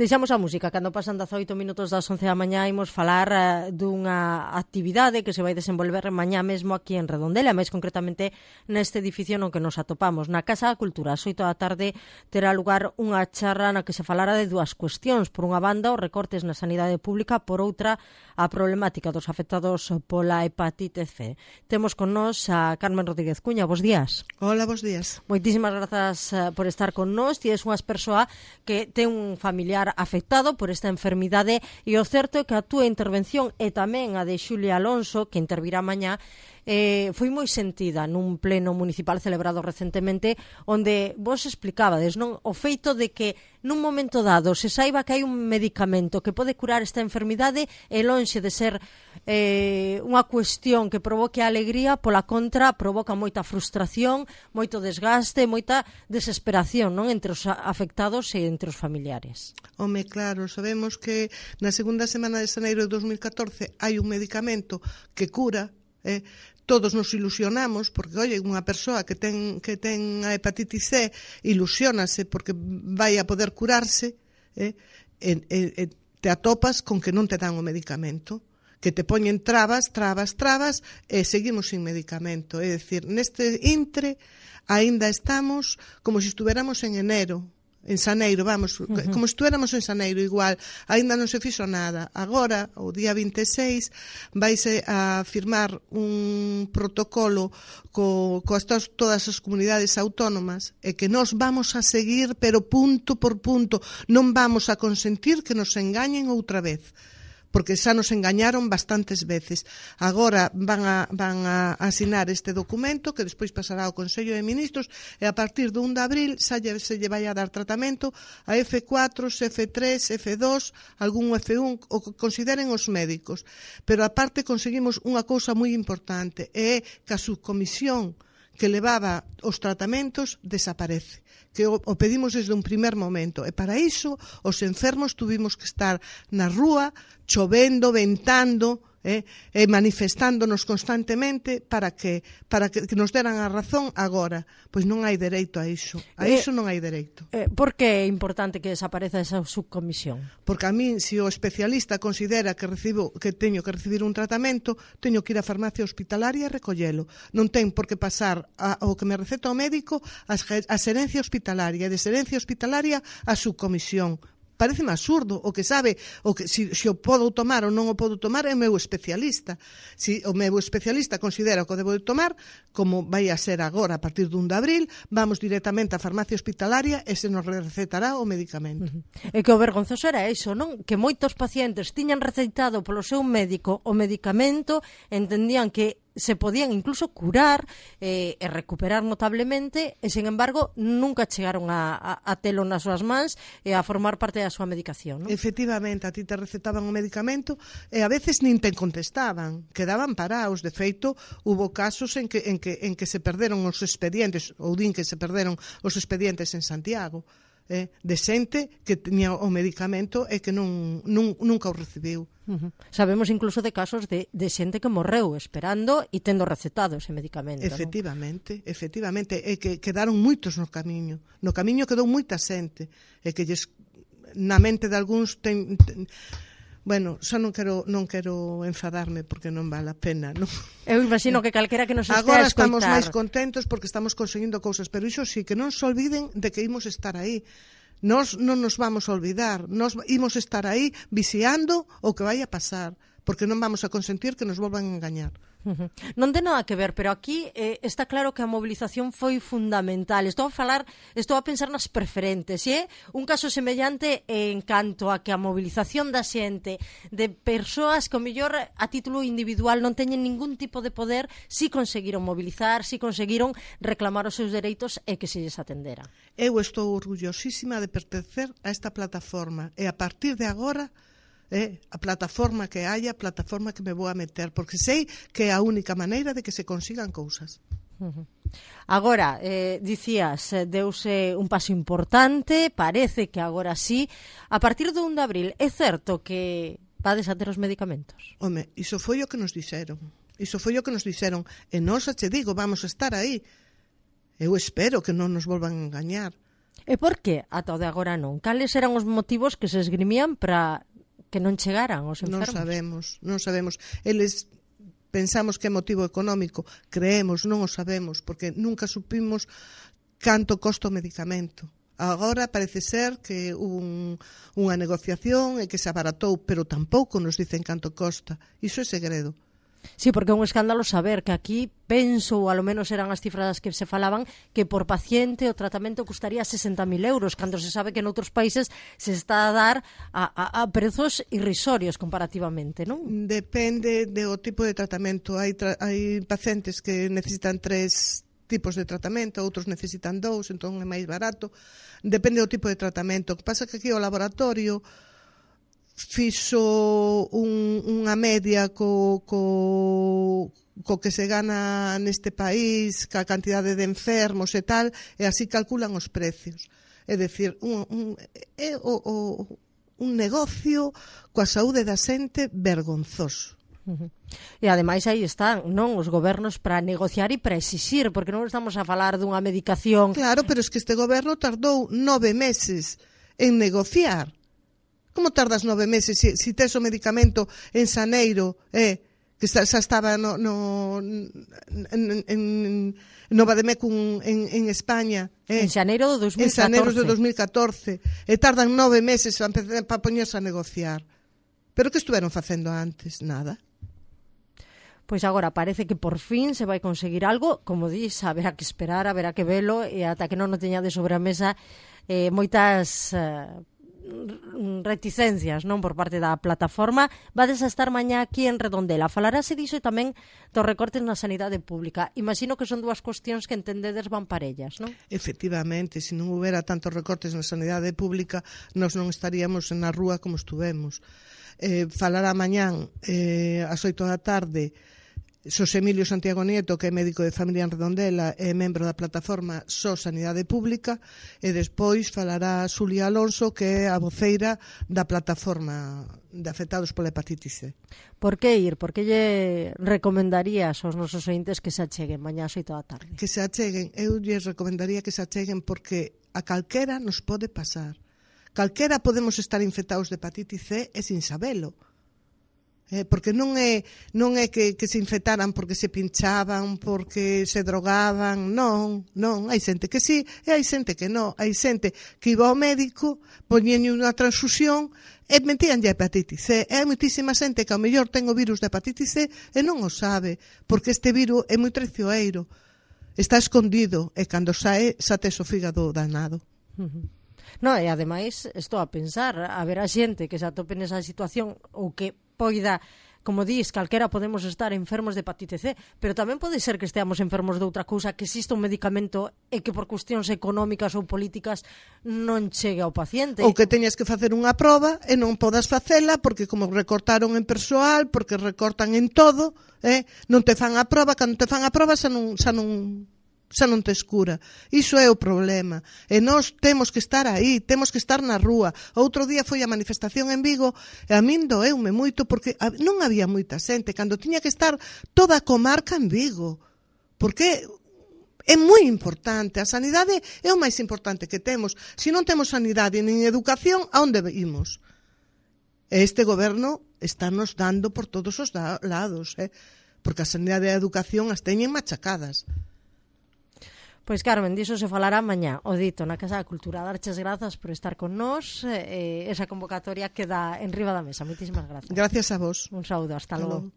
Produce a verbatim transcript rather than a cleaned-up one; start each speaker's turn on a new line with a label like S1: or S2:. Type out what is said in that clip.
S1: Deixamos a música, cando pasan dezaoito minutos das once da mañá imos falar uh, dunha actividade que se vai desenvolver mañá mesmo aquí en Redondela, máis concretamente neste edificio no que nos atopamos, na Casa da Cultura. Ás oito da tarde terá lugar unha charla na que se falará de dúas cuestións. Por unha banda, os recortes na sanidade pública, por outra, a problemática dos afectados pola hepatite C. Temos con nós a Carmen Rodríguez Cuña. Bos días.
S2: Hola, bos días.
S1: Moitísimas grazas uh, por estar con nós. Ti és unha persoa que ten un familiar afectado por esta enfermidade e o certo é que a túa intervención e tamén a de Xulia Alonso, que intervirá mañá, eh, foi moi sentida nun pleno municipal celebrado recentemente, onde vos explicabades, non, o feito de que nun momento dado se saiba que hai un medicamento que pode curar esta enfermidade e lonxe de ser eh, unha cuestión que provoque alegría, pola contra provoca moita frustración, moito desgaste, moita desesperación, non, entre os afectados e entre os familiares.
S2: Home, claro, sabemos que na segunda semana de xaneiro de dos mil catorce hai un medicamento que cura, eh, todos nos ilusionamos porque, oye, unha persoa que ten que ten a hepatite C ilusionase porque vai a poder curarse, eh, e, e, e te atopas con que non te dan o medicamento, que te poñen trabas, trabas, trabas e seguimos sin medicamento. É dicir, neste intre aínda estamos como se estuveramos en enero, en xaneiro, vamos, uh -huh. como se estuéramos en xaneiro igual, aínda non se fixo nada. Agora, o día vinte e seis, vaise a firmar un protocolo co, coas tos, todas as comunidades autónomas e que nós vamos a seguir, pero punto por punto, non vamos a consentir que nos engañen outra vez, porque xa nos engañaron bastantes veces. Agora van a, van a asinar este documento que despois pasará ao Consello de Ministros e a partir do un de abril xa lle, se lle vai a dar tratamento a F cuatro, F tres, F dos, algún F un, o que consideren os médicos. Pero aparte conseguimos unha cousa moi importante, é que a subcomisión que levaba os tratamentos desaparece, que o, o pedimos desde un primer momento, e para iso os enfermos tuvimos que estar na rúa, chovendo, ventando, eh, e manifestándonos constantemente para que para que, que nos deran a razón agora. Pois non hai dereito a iso, a
S1: eh,
S2: iso non hai dereito.
S1: Eh, por que é importante que desapareza esa subcomisión?
S2: Porque a mí, se o especialista considera que recibo que teño que recibir un tratamento, teño que ir á farmacia hospitalaria e recollelo. Non ten por que pasar a, o que me receta o médico a xerencia hospitalaria, e de xerencia hospitalaria a subcomisión. Pareceme absurdo. O que sabe, o que se si, si o podo tomar ou non o podo tomar é o meu especialista. Se si o meu especialista considera que o debo de tomar, como vai a ser agora a partir do un de abril, vamos directamente á farmacia hospitalaria e se nos recetará o medicamento.
S1: Uh-huh. E que o vergonzoso era iso, non? Que moitos pacientes tiñan receitado polo seu médico o medicamento, entendían que se podían incluso curar eh, e recuperar notablemente e, sen embargo, nunca chegaron a, a, a telo nas súas mans e a formar parte da súa medicación, non?
S2: Efectivamente, a ti te recetaban o medicamento e a veces nin te contestaban, quedaban parados. De feito, hubo casos en que, en que, en que se perderon os expedientes, ou din que se perderon os expedientes en Santiago, eh, de xente que tiña o medicamento e que non, non, nunca o recibiu.
S1: Uh-huh. Sabemos incluso de casos de, de xente que morreu esperando e tendo recetado ese medicamento.
S2: Efectivamente, non? efectivamente, e que quedaron moitos no camiño. No camiño quedou moita xente, e que lles, na mente de algúns ten, ten bueno, xa non quero non quero enfadarme porque non vale a pena, non?
S1: Eu imagino que calquera que nos estea
S2: agora
S1: a escoitar.
S2: Agora estamos máis contentos porque estamos conseguindo cousas, pero iso sí, que non se olviden de que imos estar aí. Nós non nos vamos a olvidar, nós imos estar aí vixiando o que vai a pasar, porque non vamos a consentir que nos volvan a engañar.
S1: Uh-huh. Non ten nada que ver, pero aquí eh, está claro que a mobilización foi fundamental. Estou a falar, estou a pensar nas preferentes, e é un caso semellante en canto a que a mobilización da xente, de persoas que ao mellor a título individual non teñen ningún tipo de poder, si conseguiron mobilizar, si conseguiron reclamar os seus dereitos e que se lles atendera.
S2: Eu estou orgullosísima de pertencer a esta plataforma e a partir de agora eh, a plataforma que haya, a plataforma que me vou a meter, porque sei que é a única maneira de que se consigan cousas.
S1: Uh-huh. Agora, eh, dicías, deuse un paso importante, parece que agora sí. A partir do un de abril, é certo que vades a ter os medicamentos?
S2: Home, iso foi o que nos dixeron. Iso foi o que nos dixeron. E nós, che digo, vamos a estar aí. Eu espero que non nos volvan a engañar.
S1: E por que ata o de agora non? Cales eran os motivos que se esgrimían para que non chegaran os enfermos?
S2: Non sabemos, non sabemos. Eles pensamos que é motivo económico, creemos, non o sabemos, porque nunca supimos canto costa o medicamento. Agora parece ser que un, unha negociación e que se abaratou, pero tampouco nos dicen canto costa. Iso é segredo.
S1: Sí, porque é un escándalo saber que aquí, penso, ou alo menos eran as cifras que se falaban, que por paciente o tratamento custaría sesenta mil euros, cando se sabe que noutros países se está a dar a, a, a prezos irrisorios comparativamente, non?
S2: Depende do tipo de tratamento. Hai, tra hai pacientes que necesitan tres tipos de tratamento, outros necesitan dous, entón é máis barato. Depende do tipo de tratamento. O que pasa que aquí o laboratorio fixo un, unha media co, co, co que se gana neste país, ca cantidade de enfermos e tal, e así calculan os precios. É dicir, un, un, é o, o, un negocio coa saúde da xente vergonzoso.
S1: Uh-huh. E ademais aí están, non, os gobernos para negociar e para exixir, porque non estamos a falar dunha medicación.
S2: Claro, pero es que este goberno tardou nove meses en negociar. Como tardas nove meses se si, si tes o medicamento en xaneiro, eh, que xa, xa estaba no, no, en, en, no Vademecum en, en España. Eh,
S1: en xaneiro do dos mil catorce.
S2: En xaneiro do dos mil catorce. E tardan nove meses para, para poñerse a negociar. Pero que estuveron facendo antes? Nada.
S1: Pois agora parece que por fin se vai conseguir algo, como dis, haberá que esperar, haberá que velo, e ata que non o teña de sobre a mesa eh, moitas eh, reticencias, non, por parte da plataforma. Vades a estar mañá aquí en Redondela. Falarase diso e tamén dos recortes na sanidade pública. Imagino que son dúas cuestións que entendedes van parellas, non?
S2: Efectivamente, se non houbera tantos recortes na sanidade pública, nós non estaríamos na rúa como estuvemos. Eh, falará mañán eh, ás oito da tarde Xosé Emilio Santiago Nieto, que é médico de familia en Redondela e membro da plataforma Só Sanidade Pública, e despois falará Xulia Alonso, que é a voceira da plataforma de afectados pola hepatitis C.
S1: Por que ir? Por que lle recomendarías aos nosos ointes que se acheguen mañá ás oito da tarde?
S2: Que se acheguen, eu lles recomendaría que se acheguen porque a calquera nos pode pasar. Calquera podemos estar infectados de hepatitis C e sin sabelo. Eh, porque non é non é que, que se infectaran porque se pinchaban, porque se drogaban, non, non, hai xente que sí e hai xente que non, hai xente que iba ao médico, poñenlle unha transfusión e metíanlle a hepatitis C, e hai moitísima xente que ao mellor ten o virus da hepatitis C e non o sabe, porque este virus é moi traicioneiro, está escondido e cando sae, xa tes o fígado danado.
S1: Uh-huh. No, e ademais, estou a pensar, haberá xente que se atope nesa situación ou que poida, como dis, calquera podemos estar enfermos de hepatite C, pero tamén pode ser que esteamos enfermos de outra cousa, que exista un medicamento e que por cuestións económicas ou políticas non chegue ao paciente.
S2: Ou que teñas que facer unha proba e non podas facela porque como recortaron en persoal, porque recortan en todo, eh, non te fan a proba, cando te fan a proba xa non, xa non xa non te escura. Iso é o problema. E nós temos que estar aí, temos que estar na rúa. Outro día foi a manifestación en Vigo e a min doeume moito porque non había moita xente cando tiña que estar toda a comarca en Vigo. Porque é moi importante. A sanidade é o máis importante que temos. Se non temos sanidade nin educación, a onde imos? E este goberno estános dando por todos os lados, eh? Porque a sanidade e a educación as teñen machacadas.
S1: Pois Carmen, diso se falará mañá, o dito, na Casa da Cultura. Darches grazas por estar con nós, eh, esa convocatoria queda en riba da mesa. Moitísimas grazas.
S2: Gracias a vos.
S1: Un saúdo, hasta, hasta logo.